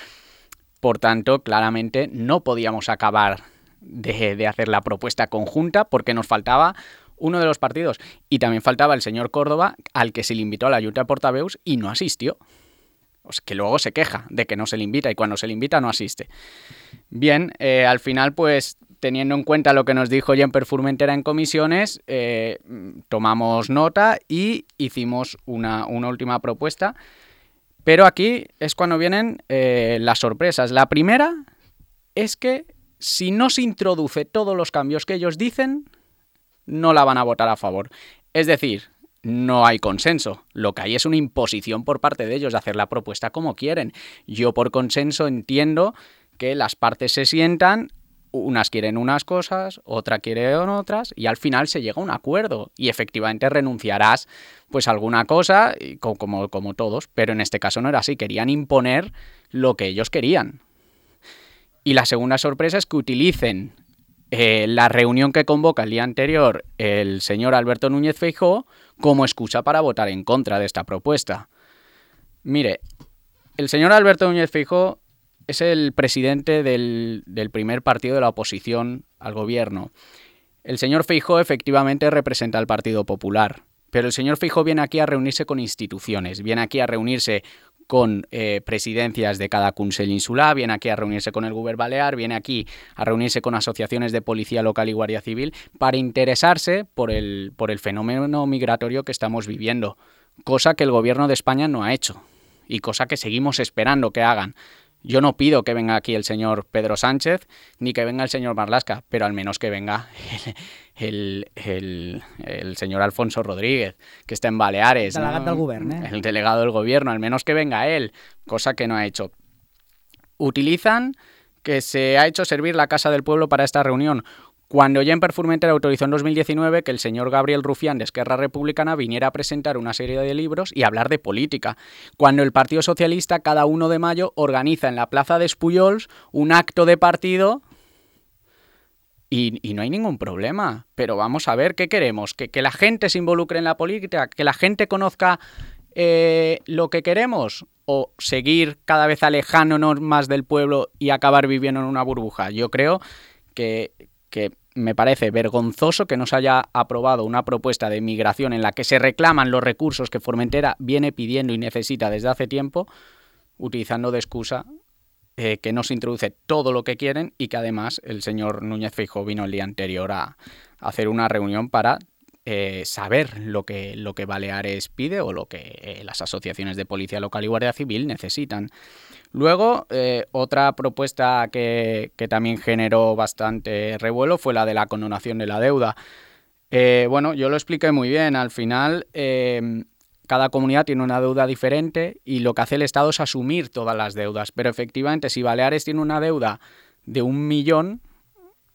Por tanto, claramente no podíamos acabar de, de hacer la propuesta conjunta porque nos faltaba uno de los partidos. Y también faltaba el señor Córdoba, al que se le invitó a la Junta de Portaveus y no asistió. O sea, que luego se queja de que no se le invita y cuando se le invita no asiste. Bien, eh, al final, pues, teniendo en cuenta lo que nos dijo Jemper Formentera en comisiones, eh, tomamos nota y hicimos una, una última propuesta. Pero aquí es cuando vienen eh, las sorpresas. La primera es que si no se introduce todos los cambios que ellos dicen, no la van a votar a favor. Es decir, no hay consenso. Lo que hay es una imposición por parte de ellos de hacer la propuesta como quieren. Yo por consenso entiendo que las partes se sientan, unas quieren unas cosas, otra quieren otras, y al final se llega a un acuerdo y efectivamente renunciarás pues a alguna cosa, como, como todos, pero en este caso no era así, querían imponer lo que ellos querían. Y la segunda sorpresa es que utilicen eh, la reunión que convoca el día anterior el señor Alberto Núñez Feijóo como excusa para votar en contra de esta propuesta. Mire, el señor Alberto Núñez Feijóo es el presidente del, del primer partido de la oposición al gobierno. El señor Feijóo efectivamente representa al Partido Popular, pero el señor Feijóo viene aquí a reunirse con instituciones, viene aquí a reunirse con eh, presidencias de cada Consell Insular, viene aquí a reunirse con el Govern Balear, viene aquí a reunirse con asociaciones de policía local y guardia civil para interesarse por el, por el fenómeno migratorio que estamos viviendo, cosa que el gobierno de España no ha hecho y cosa que seguimos esperando que hagan. Yo no pido que venga aquí el señor Pedro Sánchez ni que venga el señor Marlaska, pero al menos que venga el, el, el, el señor Alfonso Rodríguez, que está en Baleares. El delegado ¿no? del gobierno, ¿eh? El delegado del gobierno, al menos que venga él, cosa que no ha hecho. Utilizan que se ha hecho servir la Casa del Pueblo para esta reunión, cuando Jemper Formentera autorizó en dos mil diecinueve que el señor Gabriel Rufián de Esquerra Republicana viniera a presentar una serie de libros y hablar de política, cuando el Partido Socialista cada uno de mayo organiza en la Plaza de Espuyols un acto de partido y, y no hay ningún problema. Pero vamos a ver, ¿qué queremos? ¿Que, que la gente se involucre en la política? ¿Que la gente conozca eh, lo que queremos o seguir cada vez alejándonos más del pueblo y acabar viviendo en una burbuja? Yo creo que, que me parece vergonzoso que no se haya aprobado una propuesta de migración en la que se reclaman los recursos que Formentera viene pidiendo y necesita desde hace tiempo, utilizando de excusa eh, que no se introduce todo lo que quieren y que además el señor Núñez Feijóo vino el día anterior a, a hacer una reunión para eh, saber lo que, lo que Baleares pide o lo que eh, las asociaciones de Policía Local y Guardia Civil necesitan. Luego, eh, otra propuesta que, que también generó bastante revuelo fue la de la condonación de la deuda. Eh, bueno, yo lo expliqué muy bien. Al final, eh, cada comunidad tiene una deuda diferente y lo que hace el Estado es asumir todas las deudas. Pero efectivamente, si Baleares tiene una deuda de un millón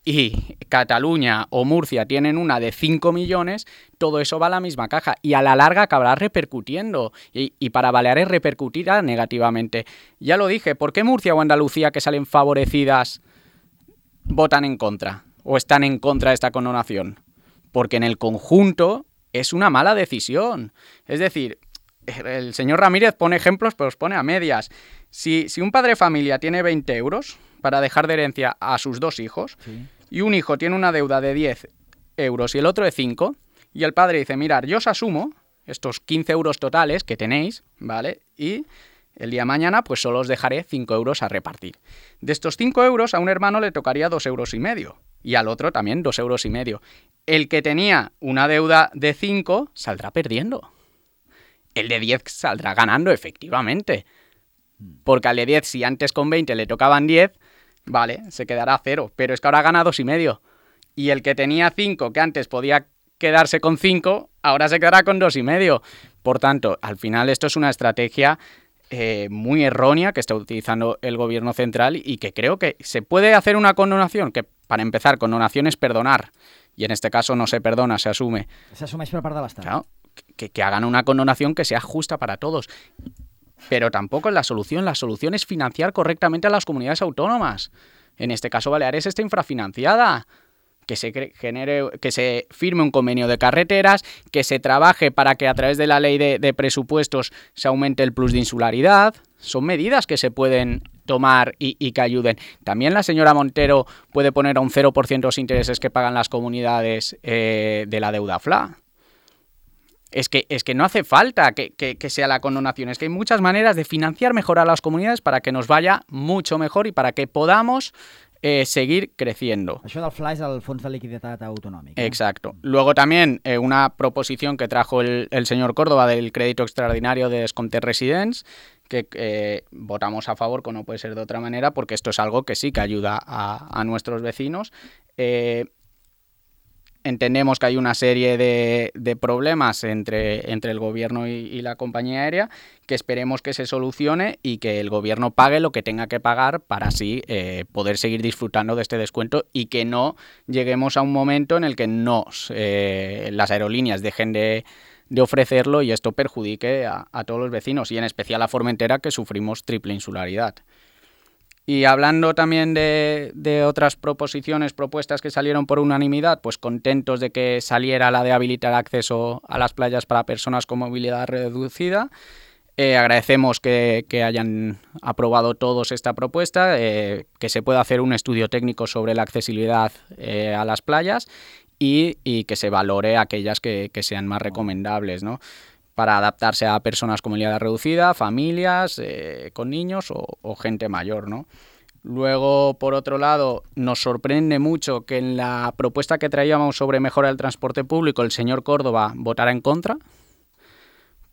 y Cataluña o Murcia tienen una de cinco millones, todo eso va a la misma caja y a la larga acabará repercutiendo y, y para Baleares repercutirá negativamente. Ya lo dije, ¿por qué Murcia o Andalucía, que salen favorecidas, votan en contra o están en contra de esta condonación? Porque en el conjunto es una mala decisión. Es decir, el señor Ramírez pone ejemplos, pero los pone a medias. Si, si un padre de familia tiene veinte euros para dejar de herencia a sus dos hijos, sí, y un hijo tiene una deuda de diez euros y el otro de cinco, y el padre dice, mirad, yo os asumo estos quince euros totales que tenéis, ¿vale? Y el día de mañana pues solo os dejaré cinco euros a repartir. De estos cinco euros a un hermano le tocaría dos euros y medio, y al otro también dos euros y medio. El que tenía una deuda de cinco saldrá perdiendo. El de diez saldrá ganando, efectivamente. Porque al de diez, si antes con veinte le tocaban diez, vale, se quedará a cero. Pero es que ahora gana dos y medio. Y el que tenía cinco, que antes podía quedarse con cinco, ahora se quedará con dos y medio. Por tanto, al final esto es una estrategia eh, muy errónea que está utilizando el gobierno central y que creo que se puede hacer una condonación, que para empezar, condonación es perdonar. Y en este caso no se perdona, se asume. Se asume per part de l'Estat. Claro, que, que hagan una condonación que sea justa para todos. Pero tampoco es la solución. La solución es financiar correctamente a las comunidades autónomas. En este caso, Baleares está infrafinanciada. Que se genere, que se firme un convenio de carreteras, que se trabaje para que a través de la ley de, de presupuestos se aumente el plus de insularidad. Son medidas que se pueden tomar y, y que ayuden. También la señora Montero puede poner a un cero por ciento los intereses que pagan las comunidades eh, de la deuda F L A. Es que, es que no hace falta que, que, que sea la condonación, es que hay muchas maneras de financiar mejor a las comunidades para que nos vaya mucho mejor y para que podamos eh, seguir creciendo. Això del F L A és el Fons de Liquiditat Autonòmic. Eh? Exacto. Luego también eh, una proposición que trajo el, el señor Córdoba del crédito extraordinario de descomptes residents, que eh, votamos a favor, como no puede ser de otra manera, porque esto es algo que sí que ayuda a, a nuestros vecinos. Eh, Entendemos que hay una serie de, de problemas entre, entre el gobierno y, y la compañía aérea que esperemos que se solucione y que el gobierno pague lo que tenga que pagar para así eh, poder seguir disfrutando de este descuento y que no lleguemos a un momento en el que no, eh, las aerolíneas dejen de, de ofrecerlo y esto perjudique a, a todos los vecinos y en especial a Formentera, que sufrimos triple insularidad. Y hablando también de, de otras proposiciones, propuestas que salieron por unanimidad, pues contentos de que saliera la de habilitar acceso a las playas para personas con movilidad reducida. Eh, agradecemos que, que hayan aprobado todos esta propuesta, eh, que se pueda hacer un estudio técnico sobre la accesibilidad eh, a las playas y, y que se valore aquellas que, que sean más recomendables, ¿no?, para adaptarse a personas con movilidad reducida, familias eh, con niños o, o gente mayor, ¿no? Luego, por otro lado, nos sorprende mucho que en la propuesta que traíamos sobre mejora del transporte público el señor Córdoba votara en contra,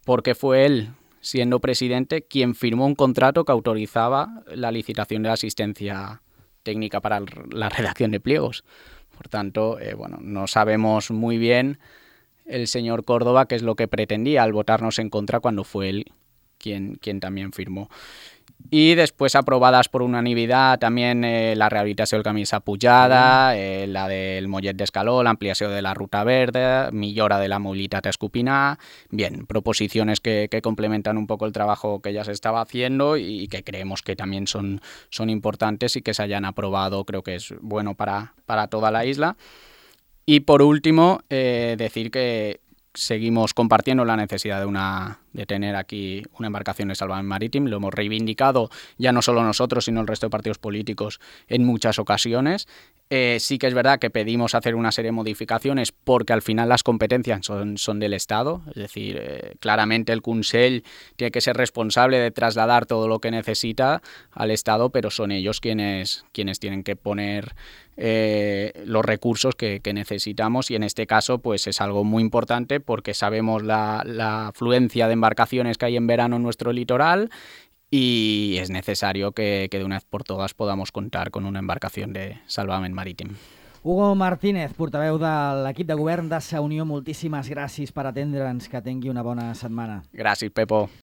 porque fue él, siendo presidente, quien firmó un contrato que autorizaba la licitación de la asistencia técnica para la redacción de pliegos. Por tanto, eh, bueno, no sabemos muy bien el señor Córdoba qué es lo que pretendía al votarnos en contra cuando fue él quien, quien también firmó. Y después aprobadas por unanimidad también eh, la rehabilitació del camí Sapujada, eh, la del Mollet d'Escaló, l'ampliació de la Ruta Verda, millora de la mobilitat a Escupinar. Bien, proposiciones que, que complementan un poco el trabajo que ya se estaba haciendo y que creemos que también son, son importantes y que se hayan aprobado, creo que es bueno para, para toda la isla. Y por último, eh, decir que seguimos compartiendo la necesidad de, una, de tener aquí una embarcación de salvamento marítimo. Lo hemos reivindicado ya no solo nosotros, sino el resto de partidos políticos en muchas ocasiones. Eh, sí que es verdad que pedimos hacer una serie de modificaciones porque al final las competencias son, son del Estado, es decir, eh, claramente el Consell tiene que ser responsable de trasladar todo lo que necesita al Estado, pero son ellos quienes, quienes tienen que poner eh, los recursos que, que necesitamos, y en este caso pues es algo muy importante porque sabemos la, la afluencia de embarcaciones que hay en verano en nuestro litoral, i és necessari que, que d'una vez por todas podamos contar con una embarcación de salvament marítim. Hugo Martínez, portaveu de l'equip de govern de Sa Unió, moltíssimes gràcies per atendre'ns, que tingui una bona setmana. Gràcies, Pepo.